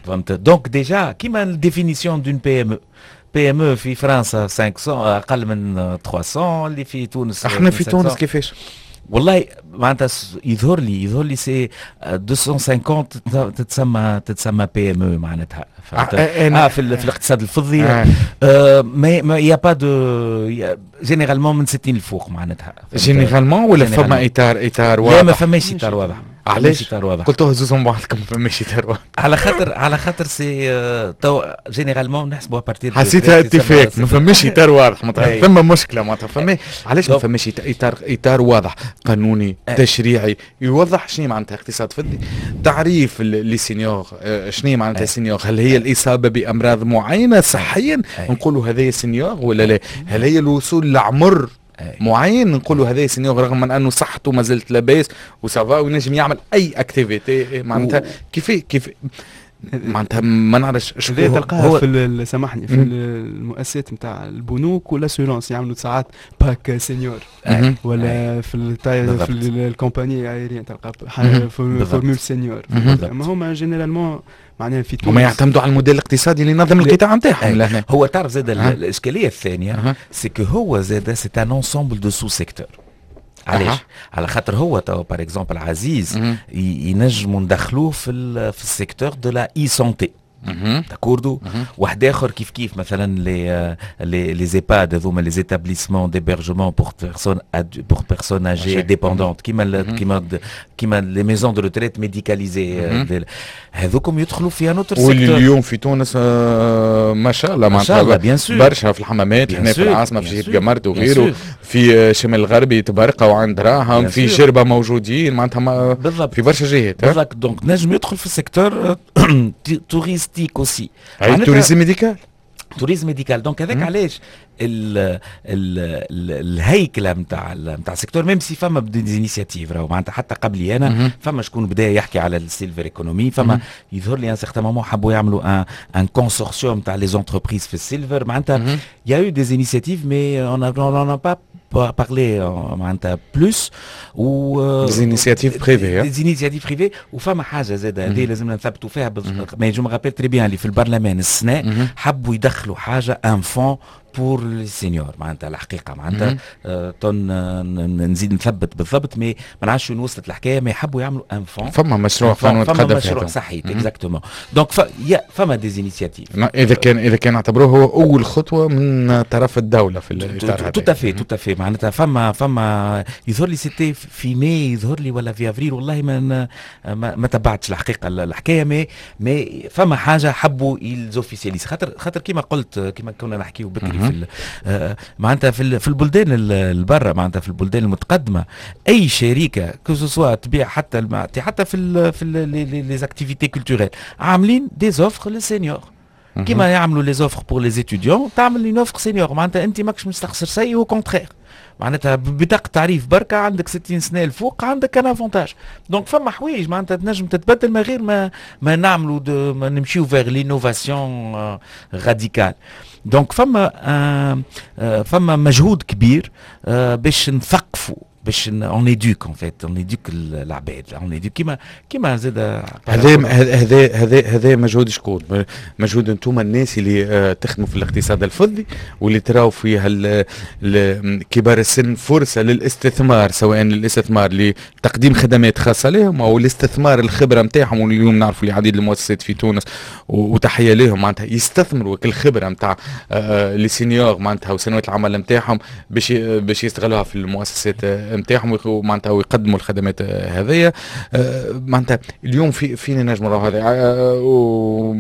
فهمت؟ donc déjà كيما ال définition d'une PME، PME في فرنسا خمسمية، اقل من ثلاثمية، اللي في تونس احنا في تونس كيفاش؟ والله معناتها يظهر لي يظهر لي c'est ميتين وخمسين تتسمى تتسمى PME معناتها. اه في, في الاقتصاد الفضي آه. آه mais mais y a pas de généralement من ستين الفوق معناتها. généralement ولا فما اطار اطار واضح؟ لا، ما فماش اطار واضح. علاش اطار واضح؟ قلتوها زوزهم بعضكم، ما فماش اطار واضح. على خاطر على خاطر c'est تو généralement نحسبوا à partir حسيتها اتفاق، ما فماش اطار واضح معناتها ثم مشكله. معناتها فما علاش ما فماش اطار اطار واضح قانوني تشريعي يوضح شنو معناتها اقتصاد فضي، تعريف les seniors، شنو معناتها senior؟ هل هي الاصابة بامراض معينة صحيا نقولوا هذا senior ولا لا؟ هل هي الوصول لعمر معين نقولوا هذا senior رغم من انه صحته ما زالت لاباس و ça va وينجم يعمل اي activité؟ معناتها كيف كيف معناتها ما نعرفش. هذا تلقاها في، سامحني، في المؤسسات نتاع البنوك وال assurances، يعملوا ساعات pack senior، ولا في التاي في ال compagnie aérienne تلقى formule senior. اما هما généralement معناها في تونس هما يعتمدوا على الموديل الاقتصادي اللي ينظم القطاع نتاعهم. هو تعرف زاد الاشكالية الثانية c'est que هو زاد c'est un ensemble de sous-secteurs. علاش؟ على خاطر هو تو par exemple عزيز ينجموا ندخلوه في في ال secteur de la e-santé، d'accord؟ واحد اخر كيف كيف، مثلا les les les EHPAD هذوما، les établissements d'hébergement pour personnes pour personnes âgées dépendantes، كيما كيما كيما les maisons de retraite médicalisées، هذوكم يدخلوا في un autre secteur. واللي اليوم في تونس ما شاء الله. ما شاء الله، bien sûr. برشا في الحمامات، هنا في العاصمه، في جهة قمرت وغيره، في شمال الغربي تبرقه وعند دراهم، في جربه موجودين، معناتها بالضبط. في برشا جهات. بالضبط، donc نجم يدخل في ال secteur touristique aussi. اي، tourisme médical. tourisme médical. donc هذاك علاش ال ال ال الهيكله نتاع نتاع ال secteur، même si فما des initiatives، راهو معناتها حتى قبلي انا فما شكون بدا يحكي على ال silver economy، فما يظهر لي un certain moment حبوا يعملوا un un consortium تاع les entreprises في ال silver. معناتها il y a eu des initiatives mais on n'a pas parlé معناتها plus و des initiatives privées. des initiatives privées. وفما حاجة زاد هذه لازم نثبتوا فيها، mais je me rappelle très bien اللي في البرلمان السنة حبوا يدخلوا حاجه، un fonds pour les seniors. معناتها الحقيقة معناتها آه تون نزيد نثبت بالضبط، mais ما نعرفش وين وصلت الحكايه، mais يحبوا يعملوا un fonds. فما مشروع قانون. فما مشروع، صحيح، exactement. donc فما des initiatives. اذا كان اذا كان اعتبروه هو اول خطوة من طرف الدولة في الاطار هذا. tout à fait، tout à fait. معناتها فما فما يظهر لي c'était في ماي يظهر لي ولا في افريل، والله ما ما, ما تبعتش الحقيقة الحكايه، mais mais فما حاجة حبوا ils officialisent، خاطر خاطر كيما قلت، كيما كنا نحكيو بكري في آه، معناتها في في البلدان البرة، معناتها في البلدان المتقدمه، اي شركة que ce soit تبيع حتى حتى في ال في les activités culturelles، عاملين des offres لل seniors، كيما يعملوا les offres pour les étudiants، تعمل une offre senior. معناتها انت ماكش مستخسر شيء، au contraire، معناتها ببطاقة تعريف بركة عندك ستين سنة الفوق عندك un avantage. donc فما حوايج معناتها تنجم تتبدل من غير ما ما نعملوا ما نمشيو vers l'innovation radicale. donc فما آه فما مجهود كبير آه باش نثقفوا، باش on éduque en fait، on éduque العباد، on éduque كيما كيما زاد. هذا هذا هذا هذا مجهود شكون؟ مجهود انتم الناس اللي آه، تخدموا في الاقتصاد الفضي واللي تراو فيها كبار السن فرصة للاستثمار، سواء الاستثمار لتقديم خدمات خاصة لهم او الاستثمار الخبرة نتاعهم. واليوم نعرفوا العديد المؤسسات في تونس، وتحية لهم، معناتها يستثمروا الخبرة نتاع آه، les seniors معناتها وسنوات العمل نتاعهم باش باش يستغلوها في المؤسسات نتاعهم معناتها ويقدموا الخدمات هذيا. آه، معناتها اليوم في فين نجم هذا آه،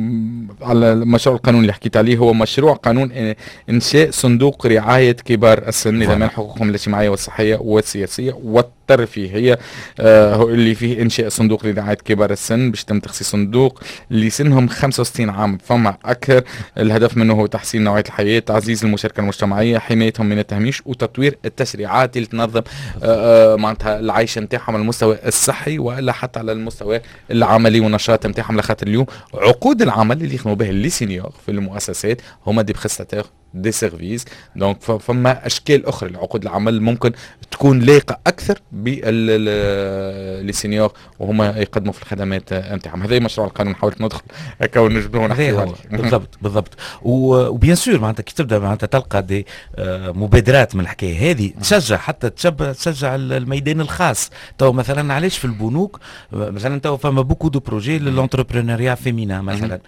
على المشروع القانون اللي حكيت عليه، هو مشروع قانون انشاء صندوق رعاية كبار السن لضمان حقوقهم الاجتماعية والصحية والسياسية والترفيهيه، آه، اللي فيه انشاء صندوق لرعاية كبار السن باش تم تخصيص صندوق اللي سنهم خمسة وستين عام فما اكثر. الهدف منه هو تحسين نوعية الحياه، تعزيز المشاركة المجتمعيه، حمايتهم من التهميش، وتطوير التشريعات اللي تنظم آه، آه، معناتها العيش نتاعهم على المستوى الصحي والا حتى على المستوى العملي والنشاط نتاعهم، لخاطر اليوم عقود العمل اللي يخدموا به les seniors في المؤسسات هما des prestataires de services. donc فما اشكال اخرى لعقود العمل ممكن تكون لايقة اكثر بال les seniors وهما يقدموا في الخدمات نتاعهم. هذا مشروع القانون، حاولت ندخل هكا ونجبدوا. نحكي بالضبط بالضبط. و bien sûr معناتها كي تبدا معناتها تلقى des آه، مبادرات من الحكاية هذه تشجع، حتى تشجع الميدان الخاص. تو مثلا علاش في البنوك مثلا تو فما beaucoup de projets لل entrepreneuriat féminin مثلا،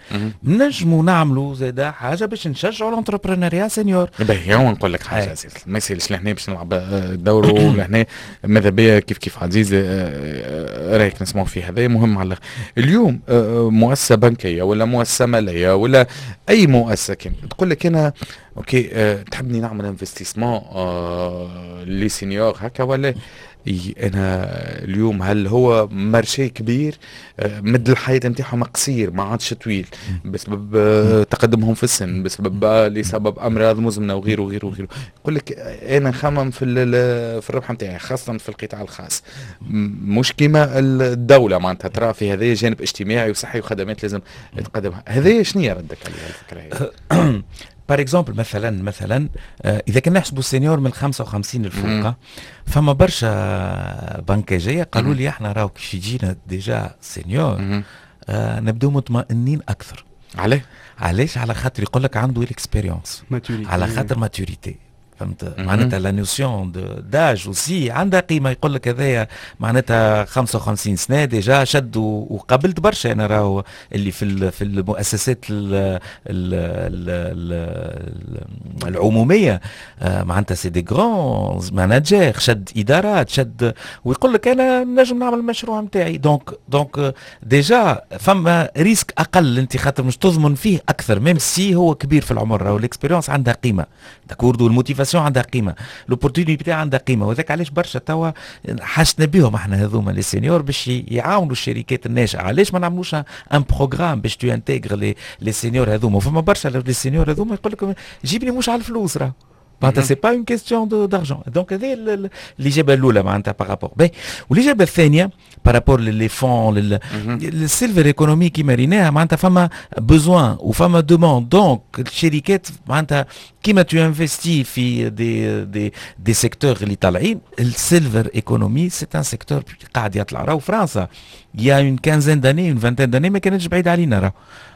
نجموا نعملوا زاد حاجة باش نشجعوا l'entrepreneuriat senior. باهي، هو نقول لك حاجة عزيز، ما يسالش لهنا باش نلعب الدور، ولهنا ماذا بيا كيف كيف عزيز آه، آه، رايك نسمعوا فيه، هذا مهم على اليوم. آه، مؤسسة بنكيه ولا مؤسسة ماليه ولا اي مؤسسة كان تقول لك انا OK، تحبني نعمل investissement les seniors هكا ولا انا اليوم هل هو marché كبير؟ آه، مد الحياة نتاعهم قصير، ما عادش طويل بسبب آه، تقدمهم في السن، بسبب لسبب امراض مزمنة وغيره وغيره وغيره. يقول لك انا نخمم في في الربح نتاعي، خاصة في القطاع الخاص، مش كيما الدوله، معناتها ترى في هذا جانب اجتماعي وصحي وخدمات لازم تقدمها. هذا شنو ردك على الفكرة هذه؟ par exemple مثلا مثلا آه، اذا كنا نحسبوا ال senior من خمسة وخمسين الفوق، فما برشا بنكاجيه قالوا لي احنا راهو كي يجينا déjà senior آه نبداو مطمئنين اكثر. عليه؟ علاش؟ على خاطر يقول لك عنده l'expérience، على خاطر maturité، فهمت؟ معناتها la notion d'âge aussi عندها قيمه. يقول لك هذايا معناتها خمسة وخمسين سنة déjà شد، وقابلت برشا انا راهو اللي في في المؤسسات ال ال ال العموميه، آه، معناتها c'est des grands managers، شد ادارات، شد، ويقول لك انا نجم نعمل المشروع نتاعي. donc donc déjà فما risque اقل، انت خاطر مش تضمن فيه اكثر même si هو كبير في العمر. راهو l'expérience عندها قيمه، d'accord؟ وال motivation عندها قيمه، l'opportunité عندها قيمه. وذاك علاش برشا توا حاجتنا بهم احنا هذوما les seniors باش يعاونوا الشركات الناشئه. علاش ما نعملوش un programme باش tu intègres les les seniors هذوما؟ فما برشا les seniors هذوما يقول لك جيبني مش على الفلوس، راه معناتها c'est pas une question d'argent. donc هذه الاجابة الاولى معناتها par rapport. باهي، والاجابة الثانية par rapport les fonds، ال silver economy كيما ريناها، معناتها فما besoin وفما demande. donc الشركات معناتها كيما tu investis في des des des secteurs اللي طالعين، ال silver economy c'est un secteur قاعد يطلع. راهو فرنسا il y a une quinzaine d'années، une vingtaine d'années، ما كانتش بعيدة علينا راهو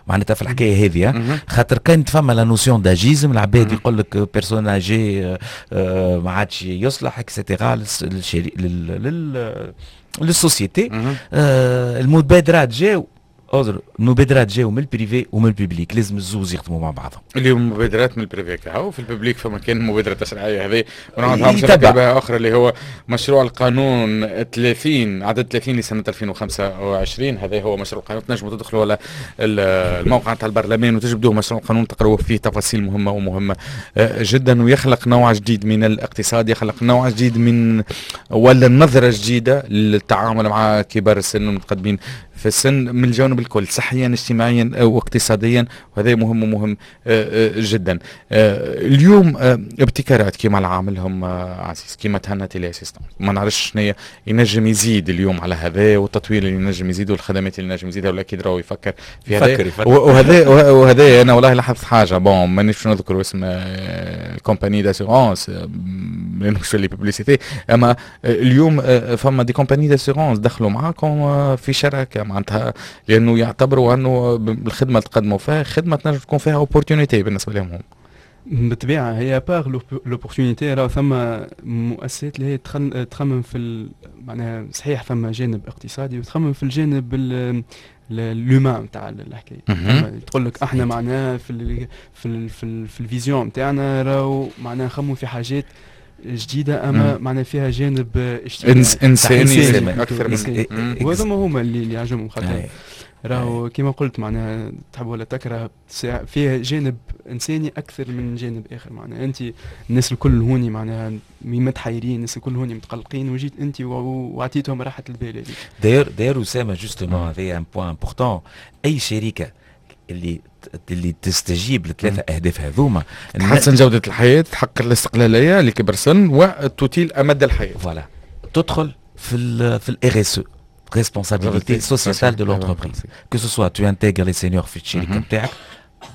معناتها في الحكاية هذه، خاطر كانت فما la notion d'âgisme، العباد يقول لك personne âgée ما عادش يصلح et cetera لل société. المبادرات جاو، المبادرات جاو من ال privé ومن ال public، لازم الزوز يخدموا مع بعضهم. اليوم مبادرات من ال privé كهو، في ال public فما كان مبادرة تشريعية هذه ونعرفها بها اخرى، اللي هو مشروع القانون ثلاثين، عدد ثلاثين لسنه ألفين وخمسة وعشرين. هذا هو مشروع القانون، تنجموا تدخلوا على الموقع تاع البرلمان وتجبدوه مشروع القانون، تقرأوا فيه تفاصيل مهمة ومهمة آه، جدا، ويخلق نوع جديد من الاقتصاد، يخلق نوع جديد من ولا نظره جديدة للتعامل مع كبار السن والمتقدمين في السن من الجوانب الكل، صحيا، اجتماعيا واقتصاديا، وهذا مهم ومهم آه، آه، جدا. آه، اليوم ابتكارات كما العاملهم عزيز، كما تهنى télé-assistance، ما نعرفش شنو ينجم يزيد اليوم على هذا، والتطوير اللي ينجم يزيد والخدمات اللي ينجم يزيدها، ولا راهو يفكر في هذا يفكر يفكر. وهذا وهذا انا والله لاحظت حاجه، bon مانيش نذكر اسم ال compagnie d'assurance لانه مش les publicités، اما اليوم فما des compagnies d'assurance دخلوا معاكم في شراكه، معناتها لانه يعتبروا انه الخدمة اللي تقدموا فيها خدمة تنجم تكون فيها opportunité بالنسبة لهم هم. بالطبيعة هي par l'opportunité، راه ثم مؤسسات اللي هي تخمم في، معناها صحيح ثم جانب اقتصادي وتخمم في الجانب l'humain نتاع الحكايه. تقول لك احنا معناها في ال في ال في, ال في ال vision نتاعنا راهو معناها نخمم في حاجات جديده، اما معناها فيها جانب اجتماعي انساني اكثر من وهذوما هما اللي اللي عجبهم، خاطر راهو كما قلت معناها تحب ولا تكره فيها جانب انساني اكثر من جانب اخر. معناها انت الناس الكل هوني معناها متحيرين، الناس الكل هوني متقلقين، وجيت انت وعطيتهم راحة البال هذيك. d'ailleurs d'ailleurs اسامه، justement هذا un point important، اي شركة اللي اللي تستجيب لثلاثة اهداف هذوما، تحسن جوده الحياه، تحقق الاستقلالية لكبر السن، وتطيل امد الحياه. voilà، تدخل في ال في ال RSE، responsabilité sociétale de l'entreprise، que ce soit tu intègres les seniors في الشركة نتاعك،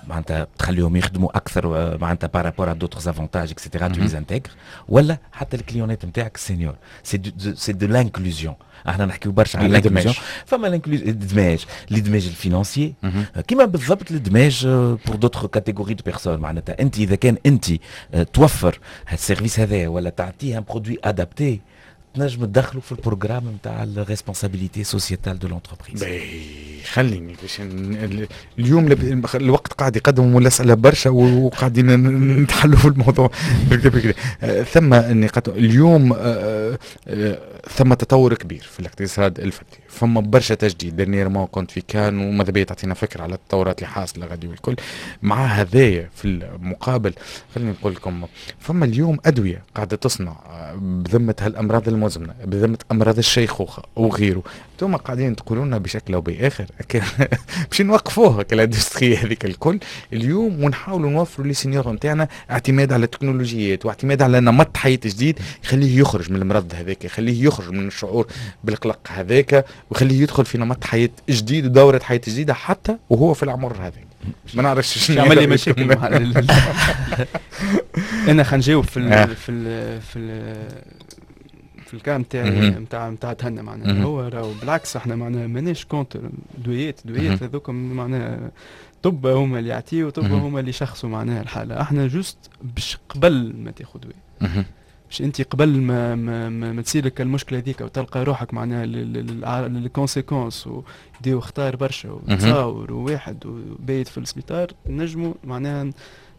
معناتها تخليهم يخدموا اكثر، معناتها par rapport à d'autres avantages et cetera، tu les intègres، ولا حتى ال client ات نتاعك seniors، c'est c'est de l'inclusion. احنا نحكيو برشا على l'inclusion، فما الادماج، الادماج ال financier كيما بالضبط الادماج pour d'autres catégories de personnes. معناتها انت اذا كان انت توفر هال service هذا ولا تعطيه un produit adapté، تنجم تدخلوا في ال programme نتاع ال responsabilité sociétale de l'entreprise. خليني باش اليوم الوقت قاعد يقدم والاسئلة برشا وقاعدين نتحلوا في الموضوع. ثم النقاط اليوم، ثم تطور كبير في الاقتصاد الفردي، فما برشا تجديد. dernièrement كنت في كان وماذا بيا تعطينا فكرة على التطورات اللي حاصله غادي والكل. مع هذايا في المقابل خليني نقول لكم فما اليوم ادوية قاعدة تصنع بذمه هالامراض المزمنه، بذمه امراض الشيخوخة وغيره. انتم قاعدين تقولوا لنا بشكل او باخر باش نوقفوها ال industrie هذيك الكل اليوم، ونحاولوا نوفروا les seniors نتاعنا اعتماد على التكنولوجيات واعتماد على نمط حياة جديد يخليه يخرج من المرض هذاك، يخليه يخرج من الشعور بالقلق هذاك، ويخليه يدخل في نمط حياة جديد ودوره حياة جديدة حتى وهو في العمر هذاك. ما نعرفش شنو يعمل لي مشاكل. انا خلينا نجاوب في ال في ال في ال في ال cas نتاع نتاع نتاع تهنى معناها. هو راهو بالعكس احنا معناها ماناش contre دويات دويات هذوك، معناها طب هما اللي يعطيو، طب هما اللي يشخصوا معناها الحاله. احنا juste باش قبل ما تاخذ دواء، باش انت قبل ما ما, ما, ما تصير لك المشكلة هذيك وتلقى روحك معناها les conséquences ويديو خطار برشا وتصاور وواحد وبايت في السبيطار، نجموا معناها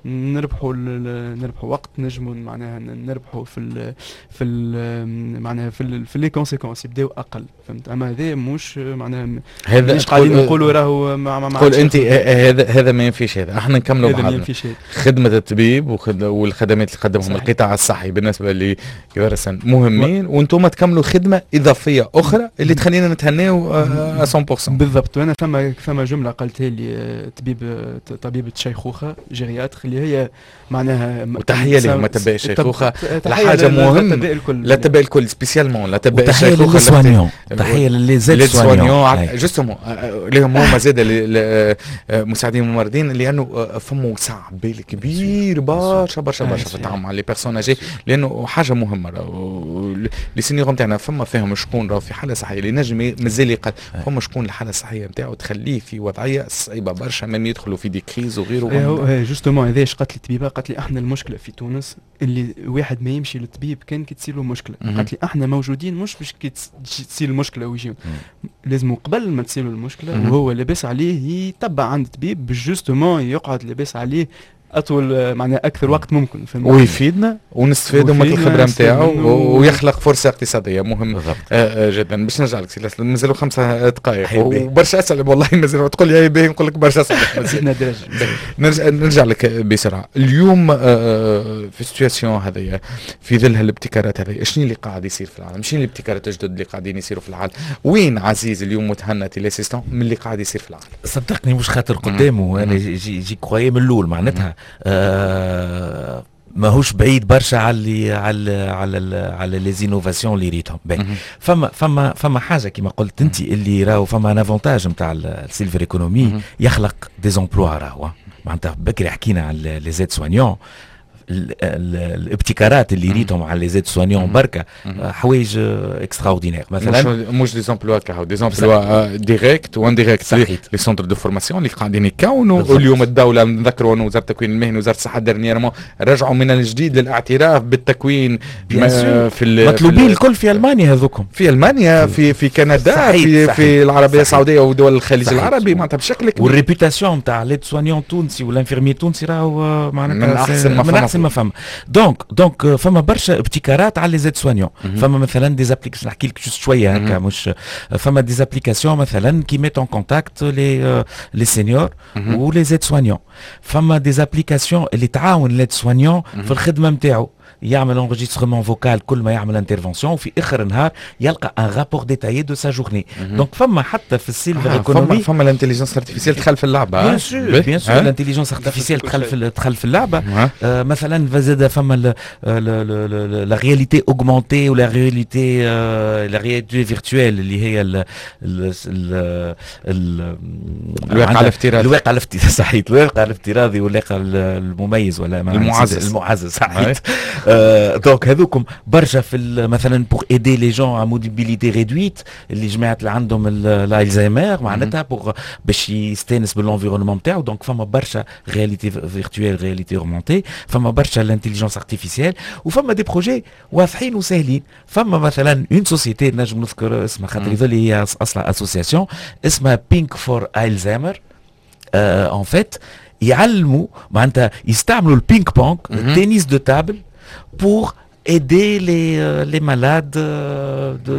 نربحوا نربحوا وقت، نجموا معناها نربحوا في ال في ال معناها في ال في les conséquences يبداو اقل، فهمت؟ اما هذا مش معناها هذا مش قاعدين نقولوا راهو مع مع تقول انت هذا هذا ما ينفيش هذا، احنا نكملوا هذا ما ينفيش هذا. خدمة الطبيب والخدمات اللي قدمهم القطاع الصحي بالنسبة لكبار السن مهمين، وانتم تكملوا خدمة اضافية اخرى اللي تخلينا نتهناو مية بالمية. بالضبط. وانا ثم ثم جملة قالتها لي طبيب طبيبه شيخوخة gériatre اللي هي معناها، وتحية لهم اطباء الشيخوخة، حاجة مهمة لاطباء الكل spécialement لاطباء الشيخوخه، تحية ل les aides-soignants justement لهم هما زاد مساعدين الممرضين، لانه فما وسع بال كبير برشا برشا برشا في التعامل مع les personnes âgées، لانه حاجة مهمة les seniors نتاعنا فما فيهم شكون راهو في حاله صحية اللي نجم مازال يقل، فما شكون الحالة الصحية نتاعو تخليه في وضعية صعيبة برشا، même يدخلوا في des crises وغيره. justement هذاش قالت لي الطبيبة، قالت لي احنا المشكلة في تونس اللي واحد ما يمشي للطبيب كان كي تصير له مشكلة. قالت لي احنا موجودين مش باش كي تصير المشكلة ويجيو، لازم قبل ما تصير المشكلة وهو لاباس عليه يتبع عند طبيب باش justement يقعد لاباس عليه اطول معناها اكثر وقت ممكن، ويفيدنا ونستفادوا من الخبرة نتاعو ويخلق فرصة اقتصادية مهم آه جدا. باش نرجع لك سي، مازالوا خمسة دقائق وبرشا اسئلة والله مازالوا، تقول لي باهي نقول لك برشا اسئلة. نرجع نرجع لك بسرعة. اليوم آه في situation هذيا في ظل هالابتكارات هذه، شنو اللي قاعد يصير في العالم؟ شنو الابتكارات الجدد اللي قاعدين يصيروا في العالم؟ وين عزيز اليوم متهنى Télé-assistant من اللي قاعد يصير في العالم؟ صدقني مش خاطر قدامه انا j'y j'y croyais من الاول معناتها آه ماهوش بعيد برشا على اللي على على على les innovations اللي ريتهم. فما فما فما حاجة كما قلت انت اللي راهو فما un avantage نتاع ال silver economy، يخلق des emplois. راهو معناتها بكري حكينا على les aides-soignants، الابتكارات اللي ريتهم على les aides-soignants بركة حوايج extraordinaires. مثلا مش des emplois كهو، des emplois directs و indirects، les centres de formation اللي قاعدين يكونوا اليوم. الدولة نذكروا انه وزارة التكوين المهني وزارة الصحة dernièrement رجعوا من الجديد للاعتراف بالتكوين في مطلوبين الكل في المانيا هذوكم، في المانيا، في في كندا، صحيح في صحيح في العربية السعودية ودول الخليج العربي معناتها بشكل كبير. وال réputation نتاع l'aide-soignant التونسي وال infirmier التونسي راهو معناتها من احسن ما من احسن ما فما. donc donc فما برشا ابتكارات على les aides-soignants. فما مثلا des applications، نحكي لك juste شوية هكا، مش فما des applications مثلا qui mettent en contact les les seniors و les aides-soignants. فما des applications اللي تعاون l'aide-soignant في الخدمة نتاعو، يعمل enregistrement vocal كل ما يعمل intervention، وفي اخر النهار يلقى un rapport détaillé de sa journée. donc فما حتى في ال silver آه economy فما فما l'intelligence artificielle دخل في اللعبه. bien sûr bien sûr l'intelligence artificielle دخل في دخل في اللعبة. آه مثلا زاد فما la réalité augmentée ولا réalité la réalité virtuelle اللي هي ال ال الواقع الافتراضي، الواقع الافتراضي صحيح، الواقع الافتراضي والواقع المميز ولا المعزز، المعزز صحيح. donc هذوكم برشا في مثلا pour aider les gens à mobilité réduite، اللي جماعة اللي عندهم الالزهايمر معناتها pour باش يستانس بال environnement نتاعو. donc فما برشا réalité virtuelle، réalité augmentée، فما برشا l'intelligence artificielle، وفما des projets واضحين وسهلين. فما مثلا une société نجم نذكر اسمها خاطر يظل هي اصلا association اسمها Ping for Alzheimer. en fait يعلموا معناتها يستعملوا ال ping-pong، ال tennis de table، pour aider les les malades de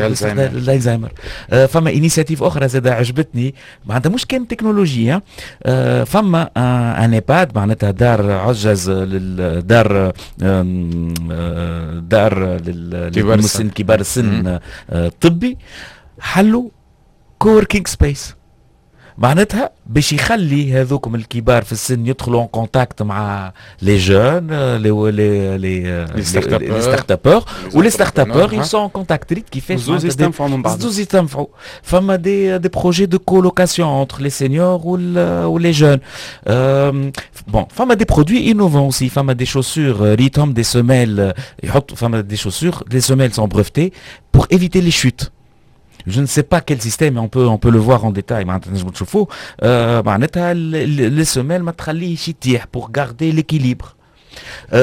l'Alzheimer. فما initiative اخرى زاد عجبتني، معناتها مش كان تكنولوجيا، فما un EHPAD معناتها دار عجز، دار دار للمسن كبار السن الطبي، حلوا coworking space معناتها باش يخلي هذوكم الكبار في السن يدخلوا en contact مع les jeunes، les les les les startuppeurs، و les startuppeurs ils sont en contact. ريت كيفاش؟ زوز يستنفعوا من بعض. زوز يستنفعوا. فما des des projets de colocation entre les seniors و les jeunes. bon، فما des produits innovants aussi، فما des chaussures ريتهم des semelles يحط، فما des chaussures les semelles sont brevetées pour éviter les chutes. je ne sais pas quel système، on peut on peut le voir en détail معناتها نجموا تشوفوه، معناتها les semelles ما تخليهش يطيح pour garder l'équilibre.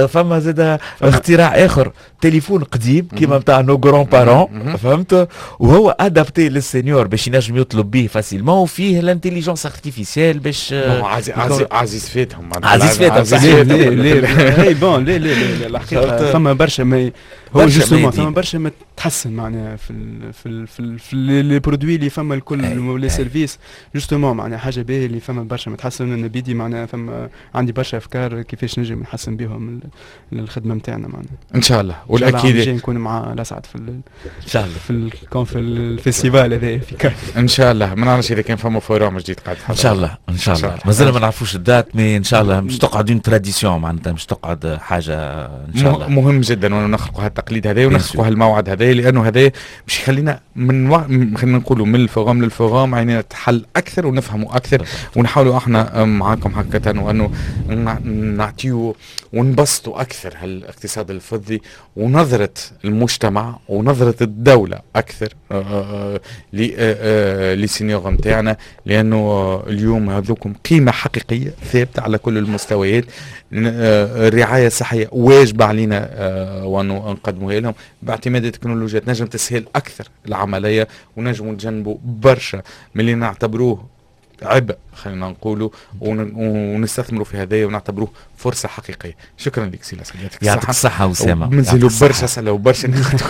فما زاد اختراع اخر، تليفون قديم كيما نتاع nos grands-parents، فهمت، وهو adapté لل senior باش ينجم يطلب به facilement، وفيه l'intelligence artificielle باش عزيز عزيز عزيز فاتهم. عزيز فاتهم. لا لا bon، لا لا لا، الحقيقة فما برشا، ما هو justement فما برشا ما تحسن معناها في ال في ال في, ال في les produits اللي فما الكل، les services justement، معناها حاجة باهيه اللي فما برشا ما تحسن. انا بيدي معناها فما عندي برشا افكار كيفاش نجم نحسن بهم الخدمة نتاعنا معناها. ان شاء الله. والاكيد نكون مع الاسعد في ان شاء الله في الكون في ال festival هذا في كان. ان شاء الله، ما نعرفش اذا كان فما forum جديد قاعد. ان شاء الله، ان شاء الله، مازال ما نعرفوش ال date، mais ان شاء الله مش تقعد une tradition، معناتها مش تقعد حاجة ان شاء الله. مهم جدا وانه نخلقوا هالتقليد هذا ونخلقوا هالموعد هذا، لانه هذا باش يخلينا من و... خلينا نقولوا من ال forum لل forum عينينا تحل اكثر ونفهموا اكثر، ونحاولوا احنا معاكم حقيقة وانه نعطيو ونبسطوا اكثر هالاقتصاد الفضي ونظره المجتمع ونظره الدولة اكثر les seniors نتاعنا، لانه اليوم هذوكم قيمة حقيقية ثابتة على كل المستويات. الرعاية الصحية واجبه علينا وانه نقدموها لهم باعتماد التكنولوجيا تنجم تسهل اكثر العمليه، ونجموا نتجنبوا برشا من اللي نعتبروه عبء خلينا نقولوا، ونستثمروا في هذا ونعتبروه فرصة حقيقيه. شكرا لك سي لاسعد. يعطيك الصحة اسامه. مازالوا برشا اسئلة وبرشا نقاط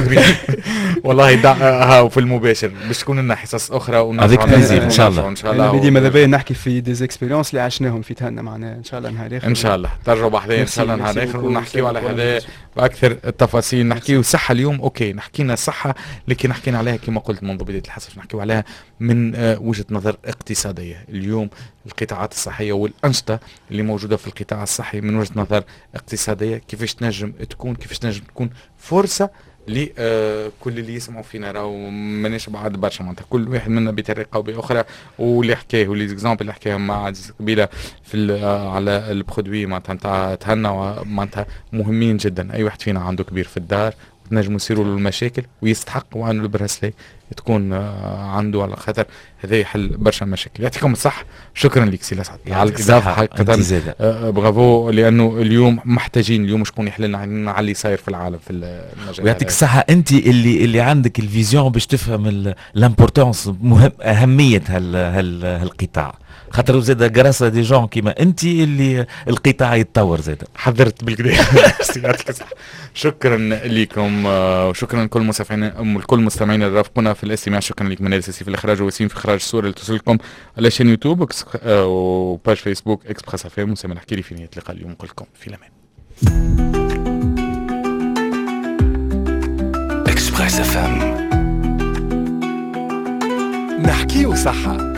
والله ها في المباشر باش تكون لنا حصص اخرى. avec plaisir ان شاء الله. ان شاء الله. بدي ماذا بيا نحكي في des expériences اللي عشناهم في تهنا معناها ان شاء الله نهار اخر. ان شاء الله ترجعوا بحذايا ان شاء الله نهار اخر ونحكيو على هذا باكثر التفاصيل. نحكيو صحة اليوم، OK نحكينا صحة لكن حكينا عليها كما قلت منذ بداية الحصة نحكيو عليها من وجهه نظر اقتصادية. اليوم القطاعات الصحية والانشطه اللي موجودة في القطاع الصحي من وجهه نظر اقتصادية كيفاش تنجم تكون، كيفاش تنجم تكون فرصة لكل اللي يسمعوا فينا. راهو ماناش بعاد برشا، معناتها كل واحد منا بطريقة او باخرى، واللي حكاه و les exemples اللي حكاهم مع عزيز قبيلة في على ال produit معناتها نتاع تهنى معناتها مهمين جدا. اي واحد فينا عنده كبير في الدار تنجموا يصيروا له المشاكل ويستحق وانه ال bracelet تكون عنده، على خاطر هذا يحل برشا مشاكل. يعطيكم الصح، شكرا لك سي لسعد على الاضافة حقيقة، برافو، لانه اليوم محتاجين اليوم شكون يحل لنا على اللي صاير في العالم في المجال. ويعطيك الصحة انت اللي اللي عندك ال vision باش تفهم l'importance، مهم اهمية هال هال هالقطاع، خاطر زاد grâce à des gens كيما انت اللي القطاع يتطور زاد. حضرت بالكدا. يعطيك الصحة، شكرا لكم وشكرا لكل المستمعين لكل المستمعين اللي رافقونا في الاستماع. شكرا لك منال السيسي في الاخراج وسيم في اخراج الصورة اللي توصلكم على chaîne YouTube و page Facebook Express FM. وسام الحكيري في نهاية اللقاء اليوم نقول لكم في الامان. Express FM، نحكيو صحة.